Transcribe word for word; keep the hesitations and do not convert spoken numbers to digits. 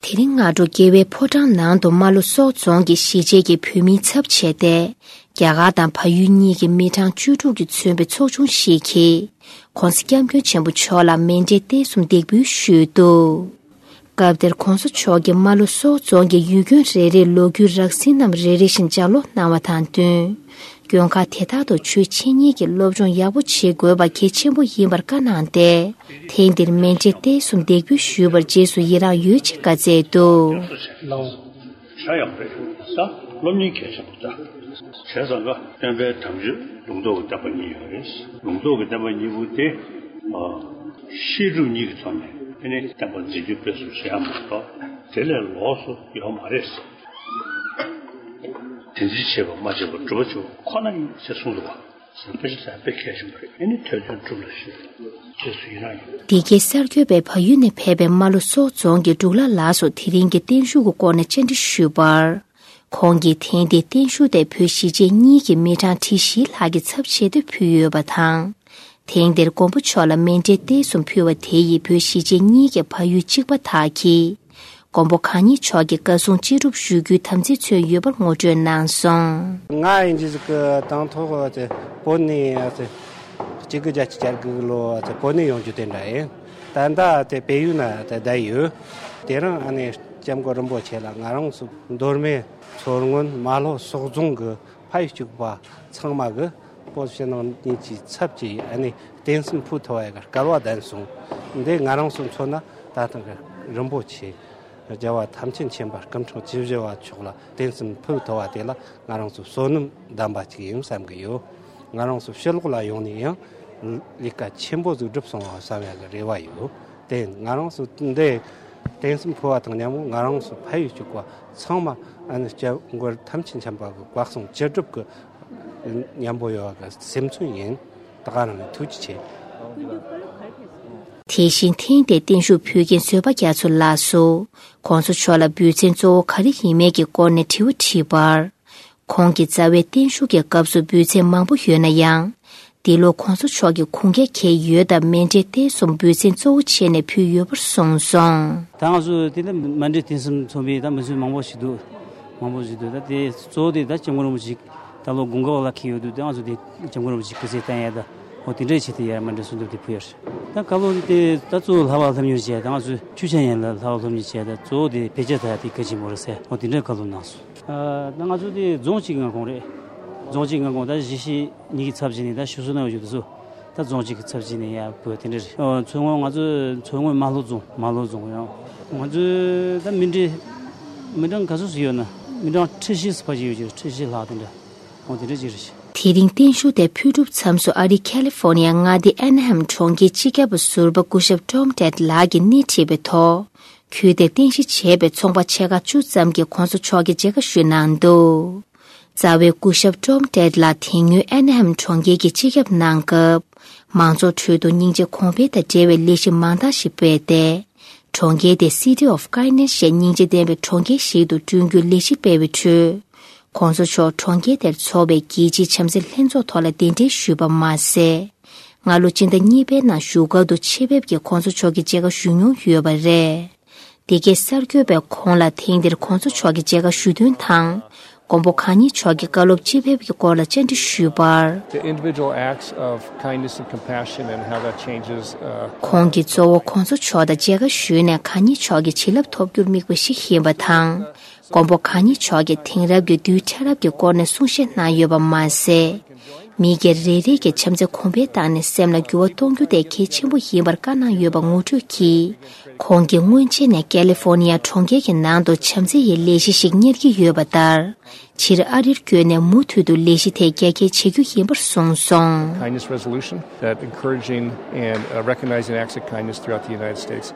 དེ་རིང་སྔ་དྲོ་རྒྱལ་བའི་ཕོ་བྲང་ནང་དུ་རྨ་ལྷོ་སོག་རྫོང་གི་གཞིས་བྱེས་ཀྱི་བོད་མིའི་ཚབ་བྱས་ཏེ། རྒྱ་གར་དང་བལ་ཡུལ་གཉིས་ཀྱི་མི་གྲངས་བཅུ་དྲུག་གིས་མཚོན་པའི་ཚོགས་ཆུང་ཞིག་གིས་༸གོང་ས་༸སྐྱབས་མགོན་ཆེན་པོ་མཆོག་ལ་མཎྜལ་རྟེན་གསུམ་འདེགས་འབུལ་ཞུས་འདུག་སྐབས་དེར་༸གོང་ས་མཆོག་གིས་རྨ་ལྷོ་སོག་རྫོང་གི་ཡུལ་དགོན་རེ་རེའི་ལོ་རྒྱུས་རགས་ཟིན་རྣམས་རེ་རེ་བཞིན་ལྗགས་ཀློག་གནང་བ་དང་བསྟུན། དགོན་ཁག་དེ་དག་ཏུ་ཆོས་འཆད་ཉན་གྱི་སློབ་སྦྱོང་ཡག་པོ་བྱེད་དགོས་པ་གལ་ཆེན་པོ་ཡིན་པར་བཀའ་གནང་སྟེ། ཐེངས་འདིར་མཎྜལ་རྟེན་གསུམ་འདེགས་འབུལ་ཞུས་པར་རྗེས་སུ་ཡི་རངས་ཡོད་ཅེས་བཀའ་སྩལ་འདུག་ལའོ། ཧྲ་ཡང་རེད། ད་སློབ་གཉེར་གལ་ཆེན་པོ་ད། བྱས་ཙང་ཀ་སྟོན་པའི་དམ་ཆོས་ལུང་རྟོགས་ཀྱི་བསྟན་པ་གཉིས་ཡོད་རེད། ལུང་རྟོགས་ཀྱི་བསྟན་པ་གཉིས་པོ་དེ། ཨ། བཤད་སྒྲུབ་གཉིས་ཀྱི་ཐོག་ནས་ཨ་ནི་བསྟན་པ་འཛིན་སྐྱོང་སྤེལ་གསུམ་བྱེད་ཡ་མ་གཏོགས་དེ་ལས་ལོགས་སུ་ཡོད་མ་རེད། དེ་འཛིན་བྱེད་པ་མ་བྱེད་པ་སྒྲུབ་པ་བྱེད་པ་ཁོ་ན་ཡིན་ཞེས་གསུངས་འདུག་པ། དཔེ་ཆ་དཔེ་གལ་ཆེན་པོ་རེད། ཨ་ནི་ཐོས་དོན་སྒྲུབ་ལ་ཞུ། རྗེས་སུ་ཡི་རང་ཡོད། འདི་གའི་གསར་འགོད་པས་བལ་ཡུལ་ནས་ཕེབས་པའི་རྨ་ལྷོ་སོག་རྫོང་གི་འབྲུག་ལྷ་ལགས་སུ་དེ་རིང་གི་བརྟན་བཞུགས་ཀྱི་སྐོར་ནས་བཅར་འདྲི་ཞུས་པར། ཁོང་གིས་ཐེངས་འདིའི་བརྟན་བཞུགས་དེ་བོད་གཞིས་བྱེས་གཉིས་ཀྱི་མི་གྲངས་ཁྲི་བཞི་ལྷག་གི་ཚབ་བྱས་ཏེ་ཕུལ་ཡོད་པ་དང་། ཐེངས་འདིར་མགོན་པོ་མཆོག་ལ་མཎྜལ་རྟེན་གསུམ་ཕུལ་བ་དེ་ཡིས་བོད་གཞིས་བྱེས་གཉིས་ཀྱི་བལ་ཡུལ་གཅིག་པ་དག་གིས། མགོན་པོ་གང་ཉིད་མཆོག་གི་བཀའ་གསུང་ཅི་སྒྲུབ་ཞུ་རྒྱུའི་དམ་ཚིག་མཚོན་ཡོད་པར་ངོ་སྤྲོད་གནང་སོང་། ང་ཡིན་གྱི་ཟིག་གི་དང་ཐོག་དེ་བོད་ནས་དེ་གཅིག་དགུ་བརྒྱད་ཅུ་གྱ་དགུ་ལོ་དེ་བོད་ནས་ཡོང་རྒྱུ་དེ་འདྲ་ཡིན། ད་ལྟ་དེ་བལ་ཡུལ་ན་དེ་བསྡད་ཡོད། དེ་རིང་ཨ་ནི་སྐྱབས་མགོན་རིན་པོ་ཆེ་ལ་ང་རང་ཚོ་མདོ་སྨད་མཚོ་སྔོན་རྨ་ལྷོ་སོག་རྫོང་གི་ཕ་ཡུལ་གཅིག་པ་ཚང་མ་གི་བོད་ཕྱི་ནང་གཉིས་ཀྱི་ཚབ་ཀྱིས་ཨ་ནི་རྟེན་གསུམ་ཕུལ་ཐུབ་པ་ཡ་གི་སྐལ་བ་ལྡན་སོང་། འདི་ང་རང་ཚོ་མཚོན་ན་ད་ཐེངས་ཀྱི་རིན་པོ་ཆེ་རྒྱལ་བ་ཐམས་ཅད་མཁྱེན་པ་སྐུ་ཕྲེང་བཅུ་བཞི་པ་མཆོག་ལ་རྟེན་གསུམ་ཕུལ་ཐུབ་པ་དེ་ལ་ང་རང་ཚོ་བསོད་ནམས་ལྡན་པ་ཅིག་ཡིན་བསམ་གི་ཡོད། ང་རང་ཚོ་ཕྱི་ལོགས་ལ་ཡོང་ནས་ཡང་ལས་ཀ་ཆེན་པོ་ཟིག་བསྒྲུབས་སོང་བ་བསམ་ཡ་གི་རེ་བ་ཡོད། དེ་ང་རང་ཚོ་འདི་རྟེན་གསུམ་ཕུལ་བ་དང་མཉམ་པོ་ང་རང་ཚོ་ཕ་ཡུལ་གཅིག་པ་ཚང་མ་ཨ་ནི་སྐྱབས་མགོན་ཐམས་ཅད་མཁྱེན་པ་གི་བཀའ་གསུང་ཅི་སྒྲུབ་ཀྱི་མཉམ་པོ་ཡོད་པ་གི་སེམས་མཚོན་ཡིན། ད་ག་རང་ནས་ཐུགས་རྗེ་ཆེ། དེ་བཞིན་ཐེངས་འདིའི་བརྟན་བཞུགས་ཕུལ་མཁན་བཟོད་པ་རྒྱ་མཚོ་ལགས་སུ་༸གོང་ས་མཆོག་ལ་འབུལ་ཚན་གཙོ་བོ་ག་རེ་ཡིན་མིན་གྱི་སྐོར་ནས་དྲི་བ་དྲིས་པར། ཁོང་གིས་རྩ་བའི་བརྟན་བཞུགས་ཀྱི་སྐབས་སུ་འབུལ་ཚན་མང་པོ་ཡོད་ན་ཡང་། འདི་ལོ་༸གོང་ས་མཆོག་གིས་ཁུངས་སྐྱེལ་གྱི་ཡོད་སྟབས་མཎྜལ་རྟེན་གསུམ་འབུལ་ཚན་གཙོ་བོ་བྱས་ནས་ཕུལ་ཡོད་པར་གསུངས་སོང་། ད་ང་ཚོ་དེ་ནི་མཎྜལ་རྟེན་གསུམ་མཚོན་པའི་ད་འབུལ་ཚན་མང་པོ་ཞིག་འདུག་མང་པོ་ཞིག་འདུག་ད་དེ་གཙོ་བོ་དེ་ད་སྐྱབས་མགོན་རིན་པོ་ཆེ་ད་ལོ་དགུན་ཁ་བ་ལ་འཁེལ་ཡོད་དུས་ད་ང་ཚོ་དེ་སྐྱབས་མགོན་རིན་པོ་ཆེ་སྐུ་ཚེ་བརྟན་ཡ་ད་འོ་དེ་འདྲའི་ཆེད་དུ་ཡར་མཎྜལ་གསུམ་འདེབས་དེ་ཕུལ་ཡ་རེད། ད་བཀའ་སློབ་དེ་ད་གཙོ་བོ་ལྷག་པར་སློབ་གཉེར་བྱས་ད་ང་ཚོས་ཆོས་འཆད་ཉན་ལ་ལྷག་པར་སློབ་གཉེར་བྱས་ད་གཙོ་བོ་དེ་བེད་སྤྱད་ད་ཡ་དེ་གལ་ཆེན་པོ་རེད་ཟེར་འོ་དེ་འདྲའི་བཀའ་སློབ་གནང་སོང་། ཨ། ད་ང་ཚོ་དེ་རྫོང་གཅིག་མངའ་ཁོངས་རེད། རྫོང་གཅིག་མངའ་ཁོངས་ད་གཞིས་བྱེས་གཉིས་ཀྱི་ཚབ་བྱས་ནས་ད་ཞུ་སྲོལ་གནང་ཡོད་དུས་སུ་ད་རྫོང་གཅིག་གི་ཚབ་བྱས་ནས་ཡར་འབུལ་དེ་འདྲ་རེད། ཨོ། མཚོ་སྔོན་ང་ཚོ་མཚོ་སྔོན་རྨ་ལྷོ་རྫོང་རྨ་ལྷོ་རྫོང་ཡང་ང་ཚོ་ད་མི་འདྲ་མི་གྲངས་ག་ཚོད་ཙམ་ཡོད་ན་མི་གྲངས་ཁྲི་བཞི་ཙམ་ཕལ་ཆེར་ཡོད་ཀྱི་རེད། ཁྲི་བཞི་ལྷག་དེ་འདྲ་འོ་དེ་འདྲ་ཅིག་རེད། དེ་རིང་བརྟན་བཞུགས་དེ་ཕུལ་གྲུབ་མཚམས་སུ་ཨ་རིའི་ཁ་ལི་ཧྥོ་ནི་ཡ་མངའ་སྡེའི་ཨན་ཧ་ཧམ་གྲོང་ཁྱེར་སྤྱི་ཁྱབ་པ་ཟུར་པ་སྐུ་ཞབས་ཀྲོམ་ཏེད་ལགས་ཀྱིས་སྣེ་ཁྲིད་པའི་ཐོག་ཁུལ་དེར་རྟེན་གཞི་བྱས་པའི་ཚོང་པ་ཕྱེད་ཀ་བཅུ་ཙམ་གྱིས་༸གོང་ས་མཆོག་གི་མཇལ་ཁ་ཞུས་གནང་འདུག་རྩ་བའི་སྐུ་ཞབས་ཀྲོམ་ཏེད་ལགས་དེ་སྔོན་ཨན་ཧམ་གྲོང་ཁྱེར་གྱི་སྤྱི་ཁྱབ་གནང་སྐབས། མང་ཚོགས་ཁྲོད་དུ་སྙིང་རྗེ་གོང་འཕེལ་དང་འབྲེལ་བའི་ལས་གཞི་མང་དག་ཞིག་སྤེལ་ཏེ། གྲོང་ཁྱེར་དེ་City of Kindness ཞེས་སྙིང་རྗེ་ལྡན་པའི་གྲོང་ཁྱེར་ཞིག་ཏུ་བསྐྲུན་རྒྱུའི་ལས་གཞི་སྤེལ་བའི་ཁྲོད། ༸གོང་ས་མཆོག་གྲོང་ཁྱེར་དེར་འཚོགས་པའི་རྒྱལ་སྤྱིའི་བྱམས་བརྩེའི་ལྷན་ཚོགས་ཐོག་ལ་གདན་འདྲེན་ཞུས་པ་མ་ཟད། སྔ་ལོ་སྤྱི་ཟླ་གཉིས་པའི་ནང་བཞུགས་སྒར་དུ་ཆེད་ཕེབས་ཀྱིས་༸གོང་ས་མཆོག་གི་མཇལ་ཁ་ཞུ་མྱོང་ཡོད་པ་རེད། འདི་གའི་གསར་འགོད་པས་ཁོང་ལ་ཐེངས་འདིར་༸གོང་ས་མཆོག་གི་མཇལ་ཁ་ཞུ་དོན་དང་། མགོན་པོ་གང་ཉིད་མཆོག་གི་བཀའ་སློབ་ཅི་ཕེབས་ཀྱི་སྐོར་ལ་བཅར་འདྲི་ཞུས་པར། The individual acts of kindness and compassion and how that changes, uh, ཁོང་གིས་གཙོ་བོ་༸གོང་ས་མཆོག་དང་མཇལ་ཁ་ཞུས་ནས་གང་ཉིད་མཆོག་གི་བྱིན་རླབས་ཐོབ་རྒྱུར་དམིགས་པ་ཞིག་ཡིན་པ་དང་། མགོན་པོ་གང་ཉིད་མཆོག་གིས་དེང་རབས་ཀྱི་དུས་ཕྲ་རབ་ཀྱི་སྐོར་ནས་གསུང་བཤད་གནང་ཡོད་པ་མ་ཟད། མི་སྒེར་རེ་རེ་གིས་བྱམས་བརྩེ་གོང་འཕེལ་བཏང་ནས་སེམས་ལ་འགྱུར་བ་གཏོང་རྒྱུ་དེ་གལ་ཆེན་པོ་ཡིན་པར་བཀའ་གནང་ཡོད་པ་ངོ་སྤྲོད་ཀྱིས། ཁོང་གིས་སྔོན་ཆད་ནས་ཀ་ལི་ཧྥོ་ནི་ཡ་གྲོང་ཁྱེར་གྱི་ནང་དུ་བྱམས་བརྩེ་ཡི་ལས་གཞི་ཞིག་གཉེར་གྱི་ཡོད་པ་ལྟར། ཕྱིར་ཨ་རིར་བསྐྱོད་ནས་མུ་མཐུད་དུ་ལས་གཞི་དེ་རྒྱ་སྐྱེད་བྱེད་རྒྱུ་ཡིན་པར་གསུངས་སོང་། Kindness resolution that encouraging and, uh, recognizing acts of kindness throughout the United States.